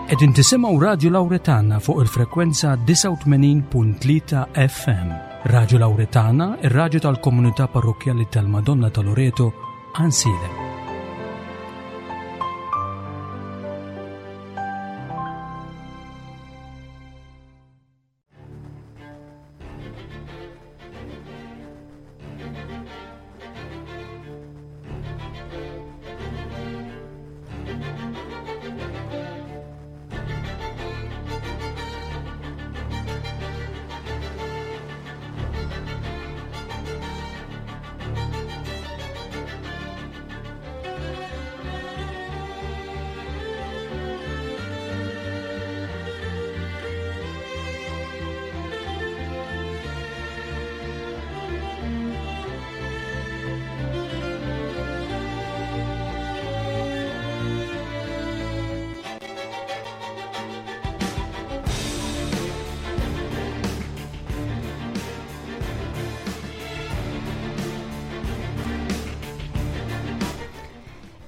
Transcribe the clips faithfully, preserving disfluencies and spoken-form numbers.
Qegħdin tisimgħu Radju Lawretana fuq il-frekwenza disgħa u tmenin punt tlieta F M. Radju Lawretana, ir-radju tal-komunità parrokkjali tal-Madonna ta' Loreto, Għajnsielem.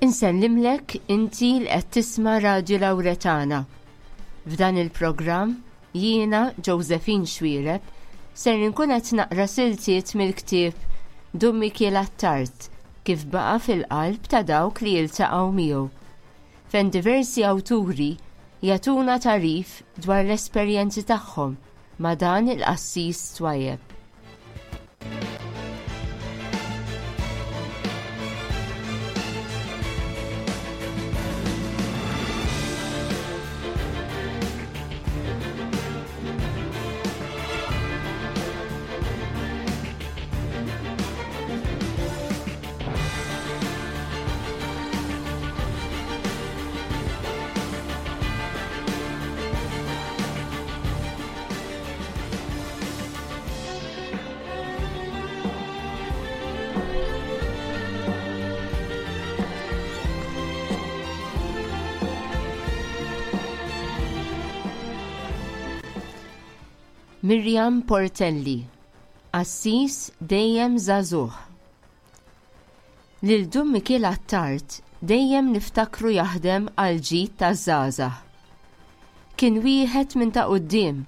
Insellimlek inti li qed tisma' Radju Lawretana. F'dan il-programm jiena Josephine Xuereb ser inkun qed naqra siltiet mill-ktieb Dun Mikiel Attard kif baqa' fil-qalb ta' dawk li jiltaqgħu miegħu, fejn diversi awturi jagħtuna tagħrif dwar l-esperjenzi tagħhom ma' dan il-qassis twajjeb. Miriam Portelli, Qassis dejjem żagħżugħ. Lil Dun Mikiel Attard dejjem niftakru jaħdem għal ġid taż-żgħażagħ. Kien wieħed minn ta' quddiem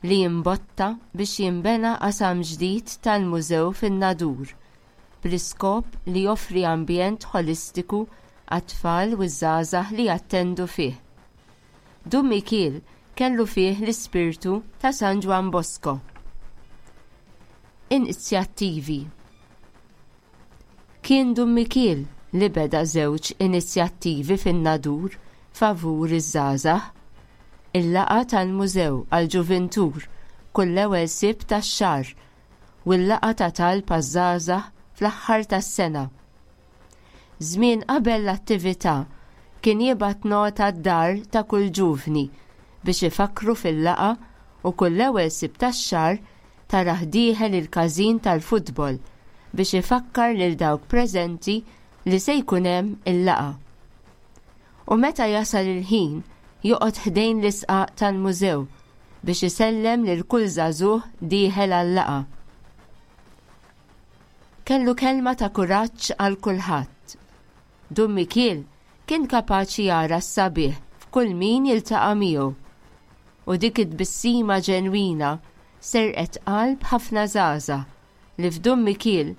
li jimbotta biex jinbena qasam ġdid tal-mużew fin-Nadur bl-iskop li joffri ambjent ħolistiku għat-tfal u ż-żgħażagħ li jattendu fih. Dun Mikiel kellu fih l-ispirtu ta' San Ġwann Bosco. Inizjattivi. Kien Dun Mikiel li beda żewġ inizjattivi fin-Nadur favur iż-żgħażagħ, il-laqgħa tal-mużew għall-ġuvintur kull ewwel Sibt tax-xahar u l-laqgħa ta' talb għaż-żgħażagħ fl-aħħar tas-sena. Żmien qabel l-attività kien jibgħat nota d-dar ta' kull ġuvni biex ifakru fil-laqgħa u kull ewwel Sibt tax-xahar tarah dieħel il-każin tal-futbol biex ifakkar lil dawk preżenti li se jkun hemm il-laqgħa. U meta jasal il-ħin joqgħod ħdejn l-isqaq tal-mużew biex isellem lil kull żagħżugħ dieħel għal-laqgħa. Kellu kelma ta' kuraġġ għal kulħadd. Dun Mikiel kien kapaċi jara s-sabiħ f'kull min jiltaqa' miegħu. U dik it-tbissima ġenwina serqet qalb ħafna żgħażagħ li f'Dun Mikiel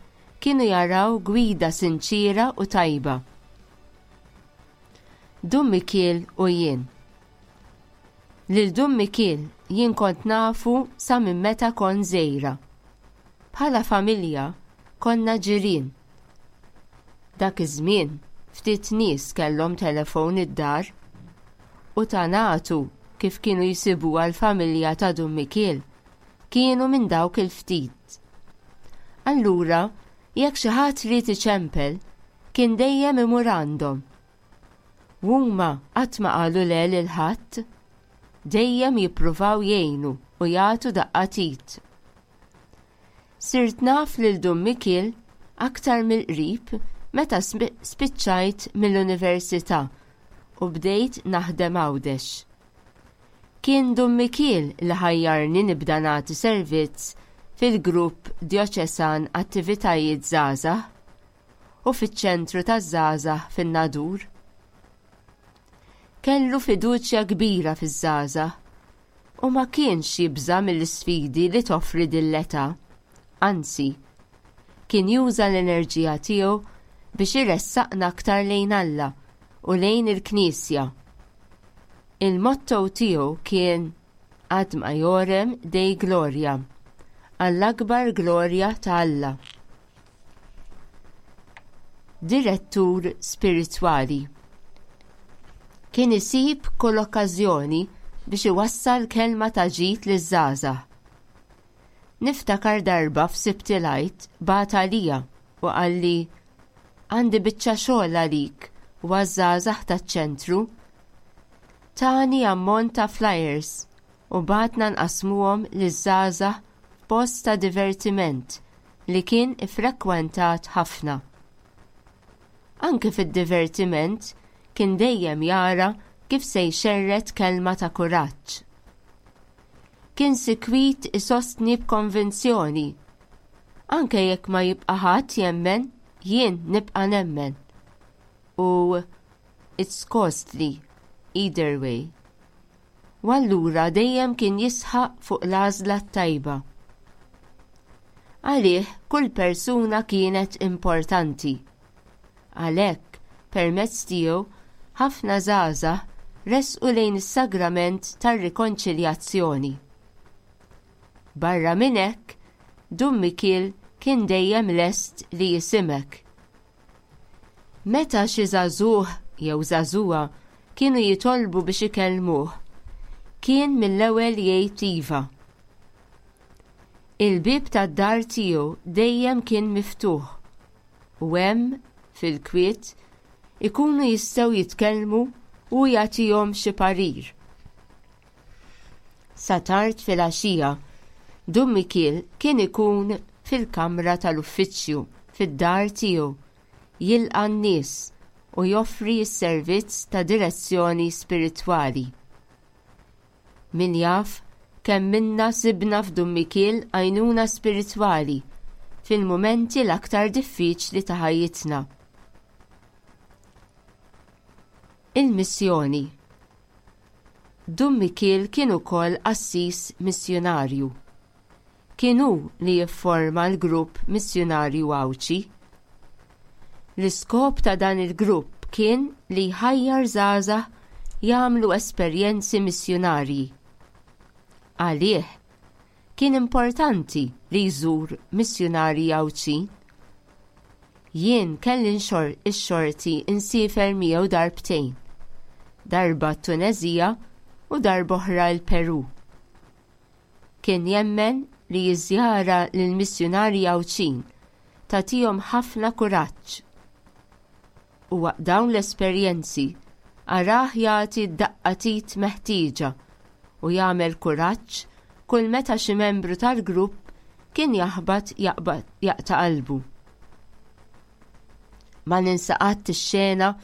kienu jaraw gwida sinċira u tajba. Dun Mikiel u jien. Lil Dun Mikiel jien kont nafu sa minn meta kont żgħira. Bħala familja konna ġirien. Dak iż-żmien ftit nies kellhom telefon id-dar u ta' nagħtu kif kienu jsibuha l-familja ta' Dun Mikiel kienu minn dawk il-ftit. Allura, jekk xi ħadd ried iċempel, kien dejjem imur għandhom. Huma qatt ma qalu le lil ħadd, dejjem jippruvaw jgħinu u jagħtu daqqa t'id. Sirt naf lil Dun Mikiel aktar mill-qrib meta spi-, spiċċajt mill-università u bdejt naħdem Għawdex. Kien Dun Mikiel li ħajjarni nibda nagħti servizz fil-grupp djoċesan Attivitajiet Żgħażagħ u fiċ-ċentru taż-żgħażagħ fin-Nadur. Kellu fiduċja kbira fiż-żgħażagħ u ma kienx jibża' mill-isfidi li toffri din l-età. Anzi, kien juża l-enerġija tiegħu biex iressaqna aktar lejn Alla u lejn il-Knisja. Il-motto tiegħu kien "Ad maiorem Dei Gloria", għall-akbar glorja ta' Alla. Direttur spiritwali. Kien isib kull okkażjoni biex iwassal kelma ta' ġid liż-żgħażagħ. Niftakar darba f'Sibt il-Għid bagħat għalija u qalli, "Għandi biċċa xogħol għalik u għaż-żgħażagħ taċ-ċentru." Tani ammont ta' flyers u bagħatna nqassmuhom liż-żgħażagħ f'post ta' divertiment li kien iffrekwentat ħafna. Anke fid-divertiment kien dejjem jara kif se jxerred kelma ta' kuraġġ. Kien sikwit isostni b'konvinzjoni. "Anke jekk ma jibqa' ħadd jemmen, jien nibqa' nemmen." U "It's costly either way." U allura dejjem kien jisħaq fuq l-għażla tajba. Għalih kull persuna kienet importanti. Għalhekk, permezz tiegħu ħafna żgħażagħ resqu lejn is-sagrament tar-rikonċiljazzjoni. Barra minn hekk, Dun Mikiel kien dejjem lest li jismgħek. Meta xi żagħżugħ jew żagħżugħa kienu jitolbu biex ikellmuh, kien mill-ewwel jgħid iva. Il-bib tad-dar tiegħu dejjem kien miftuħ u hemm fil-kwiet ikunu jistgħu jitkellmu u jagħtihom xi parir. Sa tard fil-għaxija, Dun Mikiel kien ikun fil-kamra tal-uffiċċju fid-dar tiegħu jilqa' n-nies u joffri s-servizz ta' direzzjoni spiritwali. Min jaf kemm minna sibna f'Dun Mikiel għajnuna spiritwali fil-mumenti l-aktar diffiċli ta' ħajjitna. Il-missjoni. Dun Mikiel kien ukoll qassis missjunarju. Kien hu li jifforma l-grupp missjunarju Għawdxi. L-iskop ta' dan il-grupp kien li jħajjar żgħażagħ jagħmlu esperjenzi missjunarji. Għalih kien importanti li jżur missjunarji Għawdxin. Jien kelli ix-xorti insiefer miegħu darbtejn, darba t-Tuneżija u darba oħra l-Peru. Kien jemmen li jiżjara lill-missjunarji Għawdxin tagħtihom ħafna kuraġġ. U waqt dawn l-esperjenzi arah jagħti d-daqqa t'id meħtieġa u jagħmel kuraġġ kull meta xi membru tal-grupp kien jaħbat jaqta' qalbu. Ma ninsa qatt ix-xena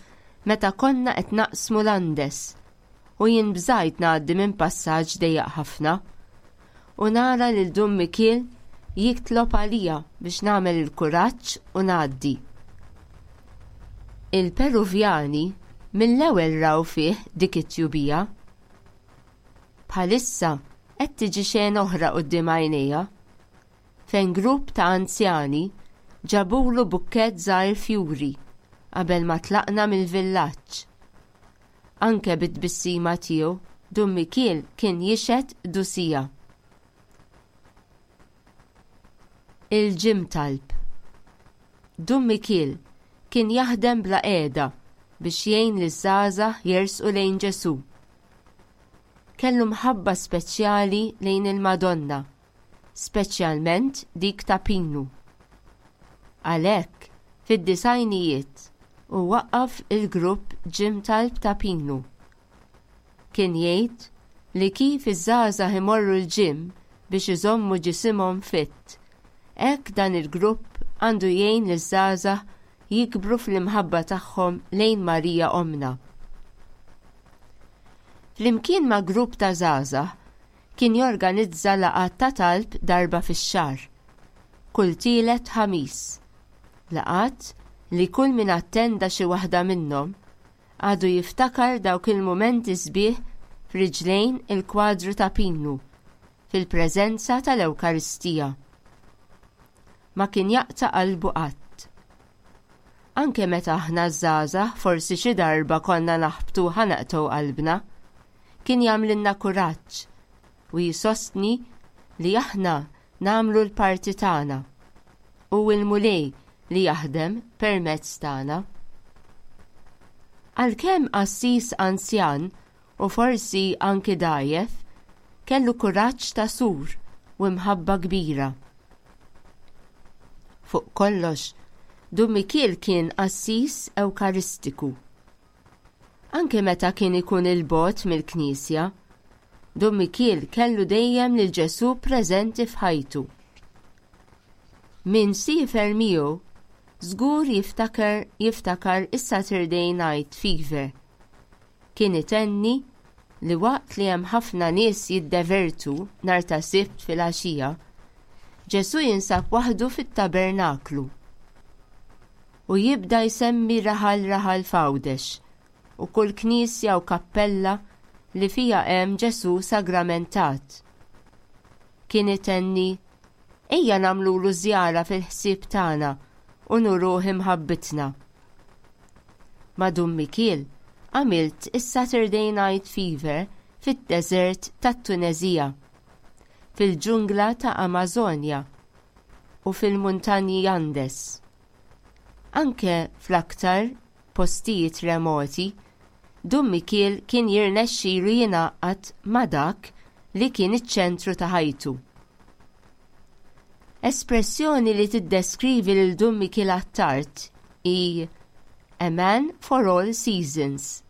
meta konna qed naqsmu l-Andes u jien bżajt ngħaddi minn passaġġ dejjaq ħafna u nara lil Dun Mikiel jitlob għalija biex nagħmel il-kuraġġ u ngħaddi. Il-Peruvjani mill-ewwel raw fih dik it-tjubija. Bħalissa qed tiġi xena oħra quddiem għajnejja fejn grupp ta' anzjani ġabulu bukkett żgħir fjuri qabel ma tlaqna mill-villaġġ. Anke bit-tbissima tiegħu Dun Mikiel kien jixhed qdusija. Il-Gym Talb. Dun Mikiel kien jaħdem bla qiegħda biex jgħin liż-żgħażagħ jersqu lejn Ġesù. Kellu mħabba speċjali lejn il-Madonna, speċjalment dik ta' Pinu. Għalhekk, fid-disgħinijiet u waqqaf il-grupp Gym Talb ta' Pinu. Kien jgħid li kif iż-żgħażagħ imorru l-gym biex iżommu ġisimhom fit, hekk dan il-grupp għandu jgħin liż-żgħażagħ jikbru fl-imħabba tagħhom lejn Marija Omna. Flimkien ma' grupp ta' żgħażagħ kien jorganizza laqgħat ta' talb darba fix-xahar, kull tielet Ħamis. Laqgħat li kull min attenda xi waħda minnhom għadu jiftakar dawk il-mumenti sbieħ f'riġlejn il-kwadru ta' Pinu, fil-preżenza tal-Ewkaristija. Ma kien jaqta' qalbu qatt. Anke meta aħna żgħażagħ forsi xi darba konna naħbtu ħa naqtgħu qalbna, kien jagħmlilna kuraġġ u jisostni li aħna nagħmlu l-parti tagħna u l-Mulej li jaħdem permezz tagħna. Għalkemm qassis anzjan u forsi anki dgħajjef, kellu kuraġġ ta' sur u mħabba kbira. Fuq kollox, Dun Mikiel kien qassis ewkaristiku. Anke meta kien ikun il-bogħod mill-Knisja, Dun Mikiel kellu dejjem lil Ġesù preżenti f'ħajtu. Min siefer miegħu żgur jiftakar jiftakar is-Saturday Night Fever. Kien itenni li waqt li hemm ħafna nies jiddevertu nhar ta' Sibt filgħaxija, Ġesù jinsab waħdu fit-tabernaklu u jibda jsemmi raħal raħal f'Għawdex u kull knisja u kappella li fija hemm Ġesù sagramentat. Kien itenni, ejja nagħmlulu żjara fil-ħsieb tagħna u nuruh imħabbitna. Ma' Dun Mikiel għamilt is-Saturday Night Fever fid-deżert tat-Tunezija, fil-ġungla ta' Amazonja u fil-muntanji Andes. Anke fl-aktar postijiet remoti, Dun Mikiel kien jirnexxilu jingħaqad ma' dak li kien iċ-ċentru ta' ħajtu. Espressjoni li tiddeskrivi lil Dun Mikiel Attard hi a man for all seasons,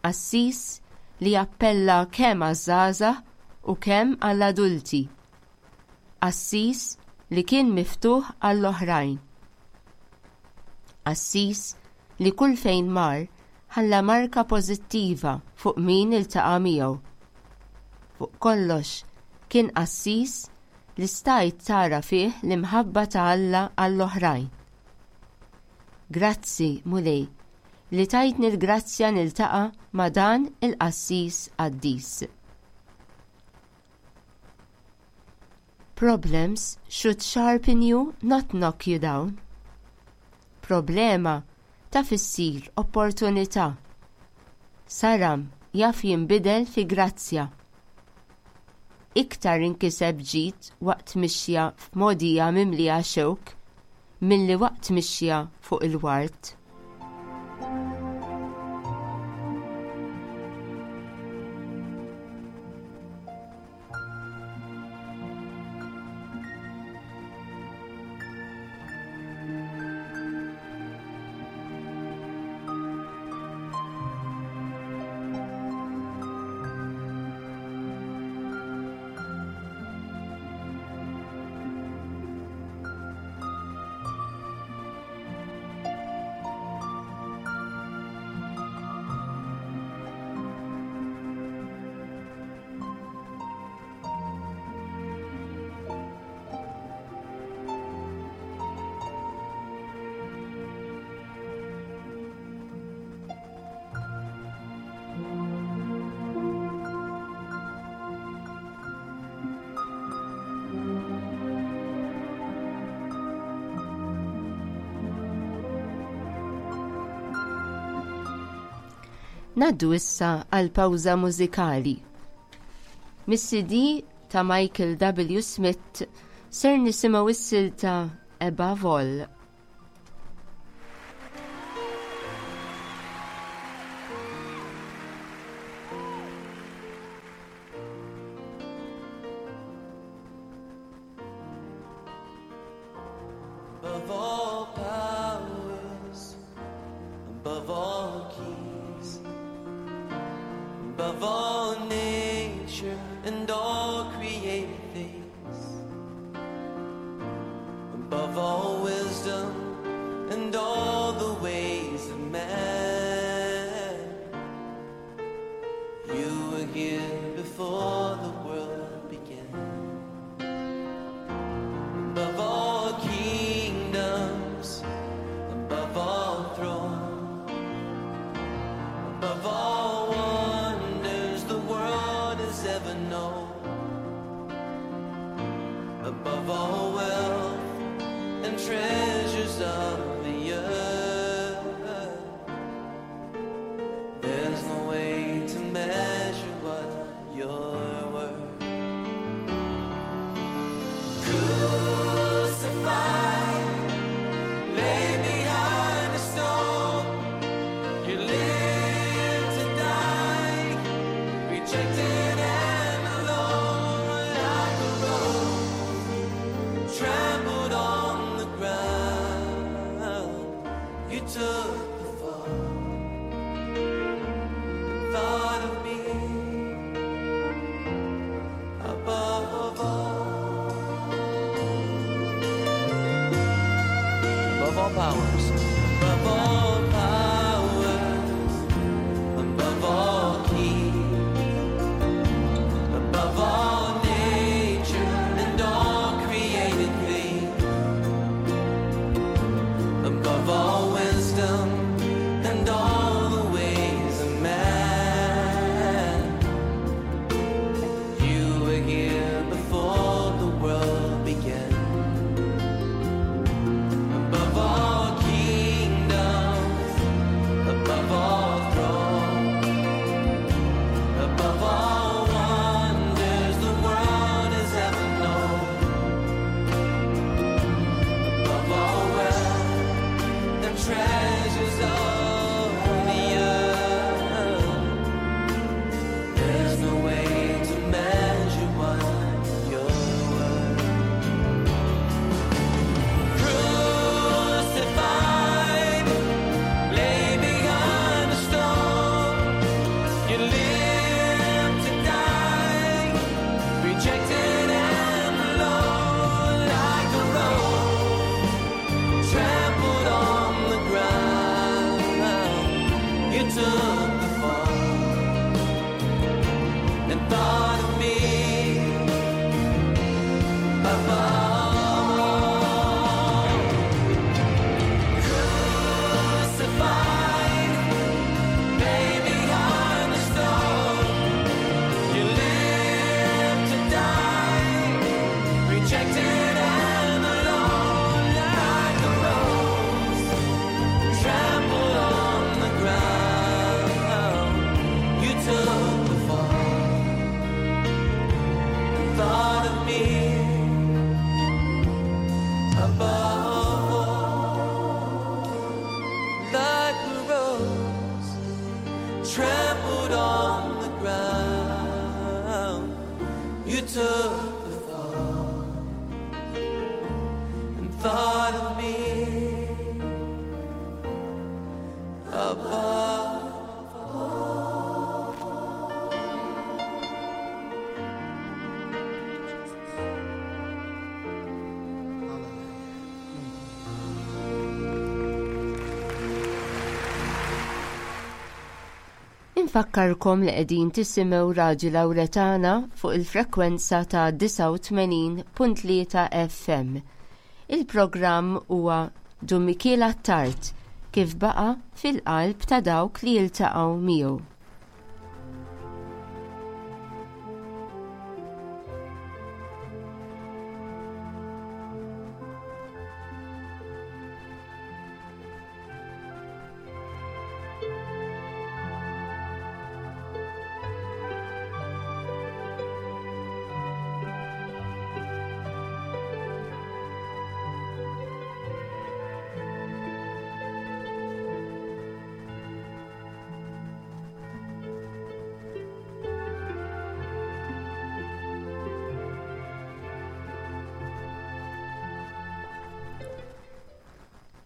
qassis li jappella kemm għaż-żgħażagħ u kemm għall-adulti, qassis li kien miftuħ għall-oħrajn. Qassis li kull fejn mar ħalla marka pożittiva fuq min iltaqa' miegħu. Fuq kollox kien qassis li stajt tara fih l-imħabba ta' Alla għall-oħrajn. Grazzi, Mulej, li tajtni l-grazzja niltaqa' ma' dan il-qassis qaddis. Problems should sharpen you, not knock you down. Problema taf issir opportunità. Saram jaf jinbidel fi grazzja. Iktar inkiseb ġid waqt mixja f'modija mimlija xewk milli waqt mixja fuq il-wart. Naddu issa għal pawża mużikali. Mis-C D ta' Michael W. Smith ser nisimgħu s-silta Above All. Above all powers, above all kings, above all nature and all created things, above all wisdom and all the ways of man, you were here before the world began. Above all kingdoms, above all thrones, You took the fall and thought of me above all. Crucified, laid behind the stone. You lived to die, rejected and alone, like a rose trampled on the ground. You took the fall and thought of me above all, like a rose trampled on the ground. You took the fall and thought of me above. Infakkarkom li qegħdin tisimgħu Radju Lawretana fuq il-frekwenza ta' disgħa u tmenin punt tlieta F M. Il-programm huwa Dun Mikiel Attard kif baqa' fil-qalb ta' dawk li jiltaqgħu miegħu.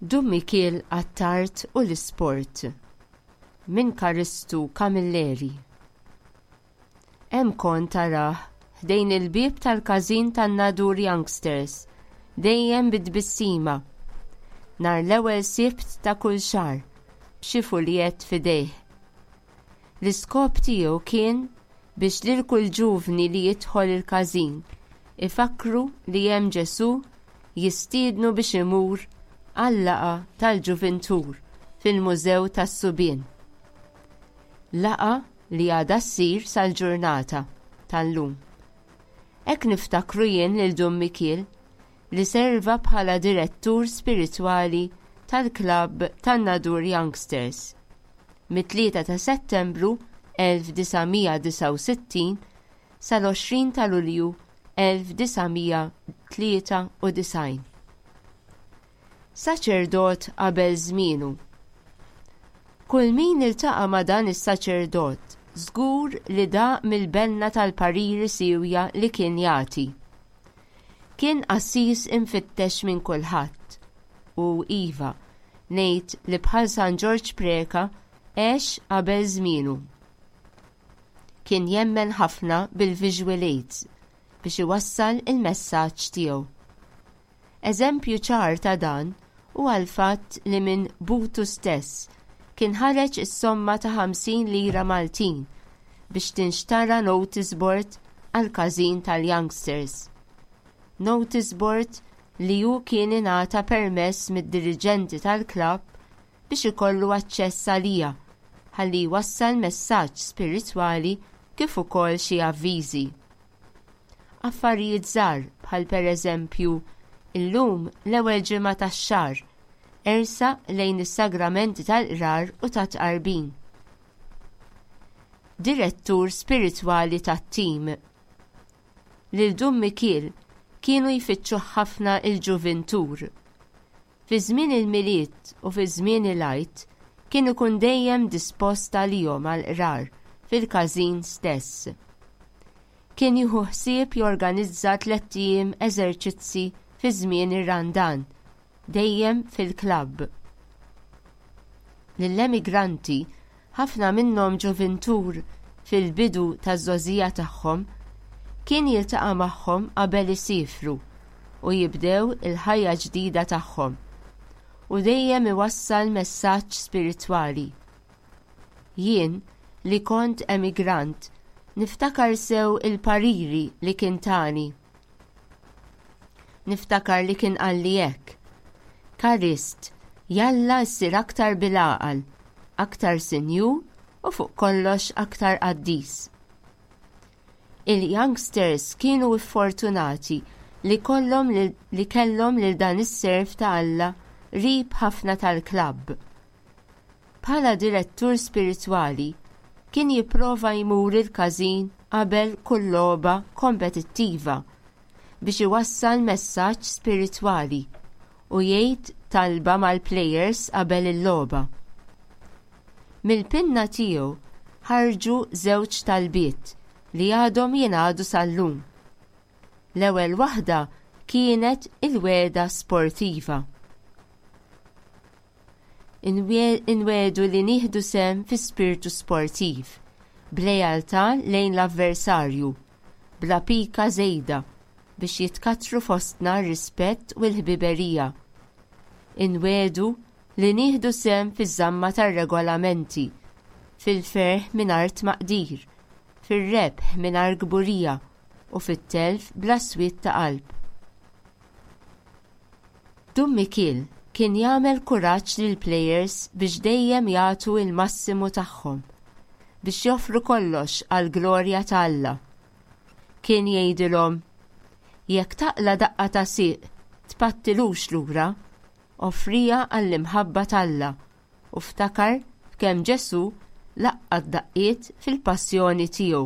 Dun Mikiel Attard u l-isport minn Karistu Camilleri. Hemm kont tarah ħdejn il-bieb tal-każin tan-Nadur Youngsters, dejjem bit-tbissima. Nhar l-ewwel Sibt ta' kull xahar, b'xi fuljet f'idejh. L-iskop tiegħu kien biex lil kull ġuvni li jidħol il-każin ifakru li hemm Ġesù jistiednu biex imur għal-laqgħa tal-ġuvintur fil-Mużew tas-Subien. Laqgħa li għadha ssir sal-ġurnata tal-lum. Hekk niftakru jien lil Dun Mikiel li serva bħala direttur spiritwali tal-klabb tan-Nadur Youngsters mit-tlieta ta' Settembru elf disa' mija disgħa u sittin sal-għoxrin ta' Lulju elf disa' mija tlieta u disgħin. Saċerdot qabel żmienu. Kull min iltaqa' ma' dan is-saċerdot żgur li daq mill-benna tal-pariri siwja li kien jagħti. Kien qassis imfittex minn kulħadd u iva, ngħid li bħal San Ġorġ Preca għex qabel żmienu. Kien jemmen ħafna bil-visual aids biex iwassal il-messaġġ tiegħu. Eżempju ċar ta' dan huwa l-fatt li minn butu stess kien ħareġ is-somma ta' ħamsin lira Maltin biex tinxtara notice board għal każin tal-youngsters. Notice board li hu kien ingħata permess mid-diriġenti tal-klabb biex ikollu aċċess għalija ħalli jwassal messaġġ spiritwali kif ukoll xi avviżi. Affarijiet żgħar bħal pereżempju illum l-ewwel ġimgħa tax-xahar ersa lejn is-sagramenti tal-qrar u tat-tqarbin. Direttur spiritwali tat-tim. Lil Dun Mikiel kienu jfittxu ħafna il-ġuvintur. Fi żmien il-Milied u fi żmien il-Għid kien ikun dejjem dispost għalihom għall-qrar fil-każin stess. Kien jieħu ħsieb jorganizza tlett ijiem eżerċizzi fi żmien ir-Randan, dejjem fil-klabb. Lill-emigranti, ħafna minnhom ġuvintur fil-bidu taż-żgħożija tagħhom, kien jiltaqa' magħhom qabel isifru u jibdew il-ħajja ġdida tagħhom, u dejjem iwassal messaġġ spiritwali. Jien, li kont emigrant, niftakar sew il-pariri li kien tani. Niftakar li kien qalli hekk: "Karist, jalla ssir aktar bil-għaqal, aktar sinjur u fuq kollox aktar qaddis." Il-youngsters kienu fortunati li kollhom li kellhom lil dan is-serv ta' Alla qrib ħafna tal-klabb. Bħala direttur spiritwali kien jipprova jmur il-każin qabel kull logħba kompetittiva biex iwassal messaġġ spiritwali u jgħid talba mal-plejers qabel il-logħba. Mill-pinna tiegħu ħarġu żewġ talbiet li għadhom jingħadu sal-lum. L-ewwel waħda kienet il-wegħda sportiva. Inwiegħdu li nieħdu sehem fi spiritu sportiv, b'lealtà lejn l-avversarju, bla pika żejda, biex jitkattru fostna r-rispett u l-ħbiberija. Inwiegħdu li nieħdu sehem fiż-żamma tar-regolamenti, fil-ferħ mingħajr tmaqdir, fir-rebħ mingħajr kburija u fit-telf bla swied ta' qalb. Dun Mikiel kien jagħmel kuraġġ lill-plejers biex dejjem jagħtu l-massimu tagħhom, biex joffru kollox għall-glorja ta' Alla. Kien jgħidilhom: "Jekk taqla' daqqa ta' sieq, tpattilux lura, offriha għall-imħabba t'Alla u ftakar f'kemm Ġesù laqqa daqqiet fil-passjoni tiegħu."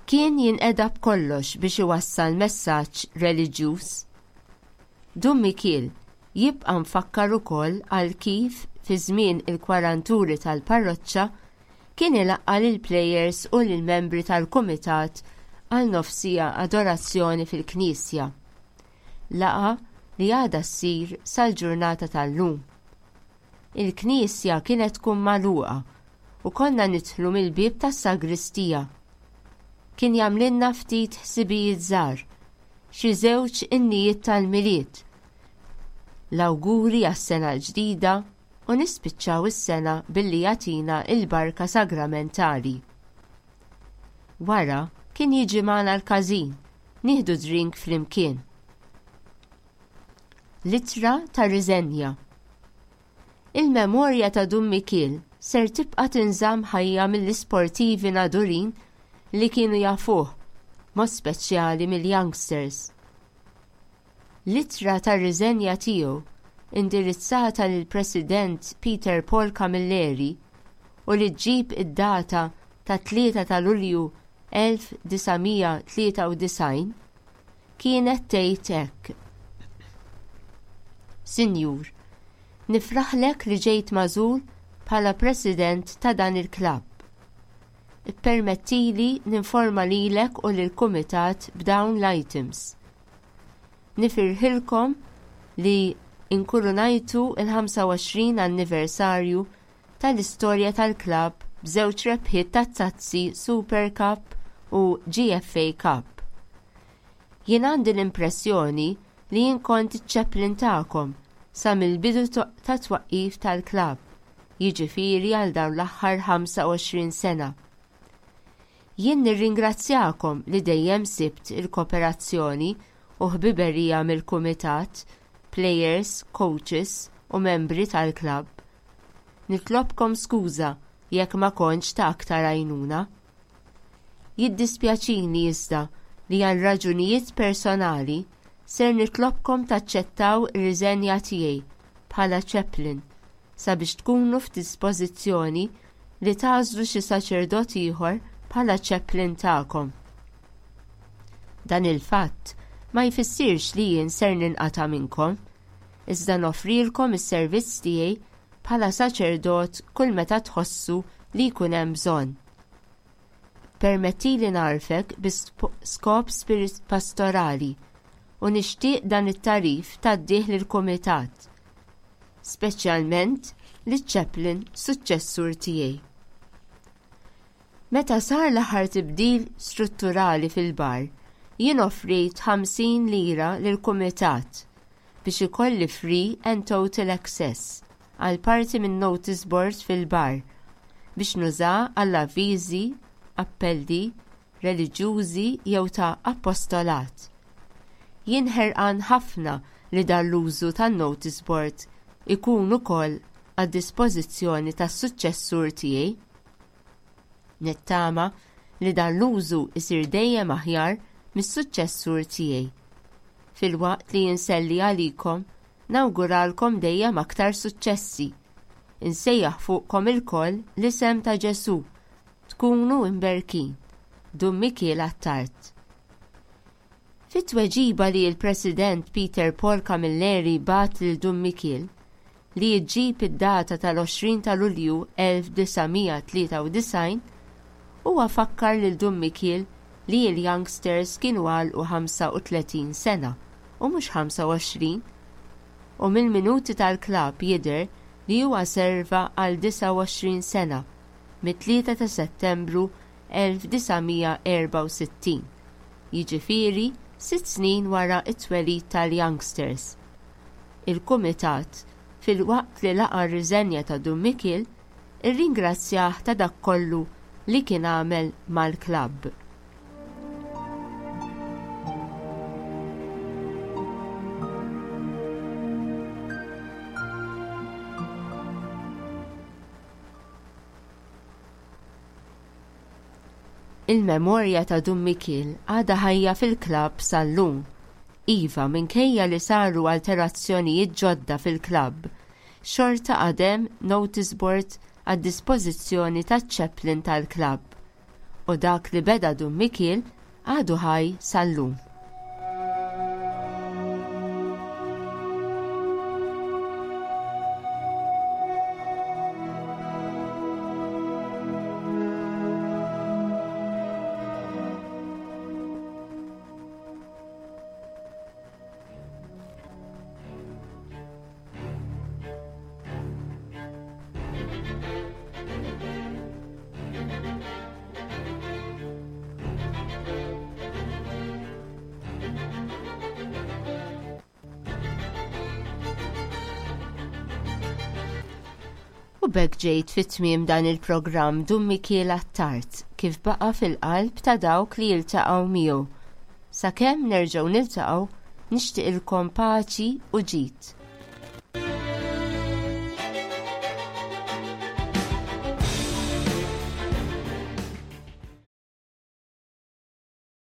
Kien jinqeda b'kollox biex iwassal messaġġ reliġjuż. Dun Mikiel jibqa' mfakkar ukoll għal kif fi żmien il-kwaranturi tal-parroċċa kien ilaqqa' lill-plejers u lill-membri tal-kumitat għal nofs siegħa adorazzjoni fil-knisja. Laqgħa li għadha ssir sal-ġurnata tal-lum. Il-knisja kienet tkun magħluqa u konna nidħlu mill-bieb tas-sagristija. Kien jagħmlilna ftit ħsibijiet żgħar, xi żewġ innijiet tal-Milied, l-awguri għas-sena l-ġdida u nispiċċaw is-sena billi jagħtina il-barka sagramentali. Wara kien jiġi magħna l-każin, nieħdu drink flimkien. L-ittra ta' riżenja. Il-memorja ta' Dun Mikiel ser tibqa' tinżamm ħajja mill-isportivi Nadurin li kienu jafuh, mod speċjali mill-youngsters. L-ittra ta' riżenja tiegħu, indirizzata lill President Peter Paul Camilleri u li ġġib id-data ta' tlieta ta' Lulju elf disa' mija tlieta u disgħin, kienet tgħid hekk: "Sinjur, nifraħlek li ġejt magħżul bħala President ta' dan il-klabb. Ippermettili ninforma lilek u lill-kumitat b'dawn l-items. Nifirħilkom li inkurunajtu il-ħamsa u għoxrin anniversarju tal-istorja tal-klabb b'żewġ rebħiet tat-tazzi Super Cup u G F A Cup. Jien għandi l-impressjoni li jien kont iċ-chaplain tagħkom sa mill-bidu ta' twaqqif tal-klabb, jiġifieri għal dawn l-aħħar ħamsa u għoxrin sena. Jien nirringrazzjakom li dejjem sibt il-kooperazzjoni u ħbiberija mill-kumitat, players, coaches u membri tal-klabb. Nitlobkom skuża jekk ma kontx ta' aktar għajnuna. Jiddispjaċini iżda li għal raġunijiet personali ser nitlobkom taċċettaw ir-riżenja tiegħi bħala chaplain sabiex tkunu f'dispożizzjoni li tagħżlu xi saċerdot ieħor bħala chaplain tagħkom. Dan il-fatt ma jfissirx li jien ser ninqata' minnkom, iżda noffrilkom is-servizz tiegħi bħala saċerdot kull meta tħossu li jkun hemm bżonn. Permettili ngħarrfek bi skop pastorali u nixtieq dan it-tagħrif tgħaddih lill-kumitat, speċjalment liċ-chaplain suċċessur tiegħi." Meta sar l-aħħar tibdil strutturali fil-bar, jien offrejt ħamsin lira lill-kumitat biex ikolli free and total access għal parti minn notice board fil-bar biex nużah għall-avviżi, appelli, reliġjużi jew ta' apostolat. Jien ħerqan ħafna li dan l-użu tan-notice board ikun ukoll għad-dispożizzjoni tas-suċċessur tiegħi. Nittama li dan l-użu isir dejjem aħjar mis-suċċessur tiegħi. Filwaqt li inselli għalikom, nawguralkom dejjem aktar suċċessi. Insejjaħ fuqkom ilkoll l-isem ta' Ġesù. Tkunu imberkin. Dun Mikiel Attard. Fit-tweġiba li l-President Peter Paul Camilleri bagħat lil Dun Mikiel, li ġġib id-data tal-għoxrin ta' Lulju elf disa' mija tlieta u disgħin, huwa fakkar lil Dun Mikiel li l-youngsters kienu għalqu ħamsa u tletin sena u mhux ħamsa u għoxrin, u mill-minuti tal-klabb jidher li huwa serva għal disa' u għoxrin sena mit-tlieta ta' Settembru elf disa' mija erba' u sittin, jiġifieri sitt snin wara t-twelid tal-youngsters. Il-kumitat, filwaqt li laqa' r-riżenja ta' Dun Mikiel, irringrazzjah ta' dak kollu li kien għamel mal-klabb. Il-memorja ta' Dun Mikiel għadha ħajja fil-klabb sal-lum. Iva, minkejja li saru alterazzjonijiet ġodda fil-klabb, xorta għadem notice board għad dispożizzjoni taċ-chaplain tal-klabb. U dak li beda Dun Mikiel għadu ħaj sal-lum. U b'hekk ġejt fit-tmiem dan il-programm Dun Mikiel Attard, kif baqa' fil-qalb ta' dawk li jiltaqgħu miegħu. Sakemm nerġgħu niltaqgħu, nixtieqilkom paċi u ġid.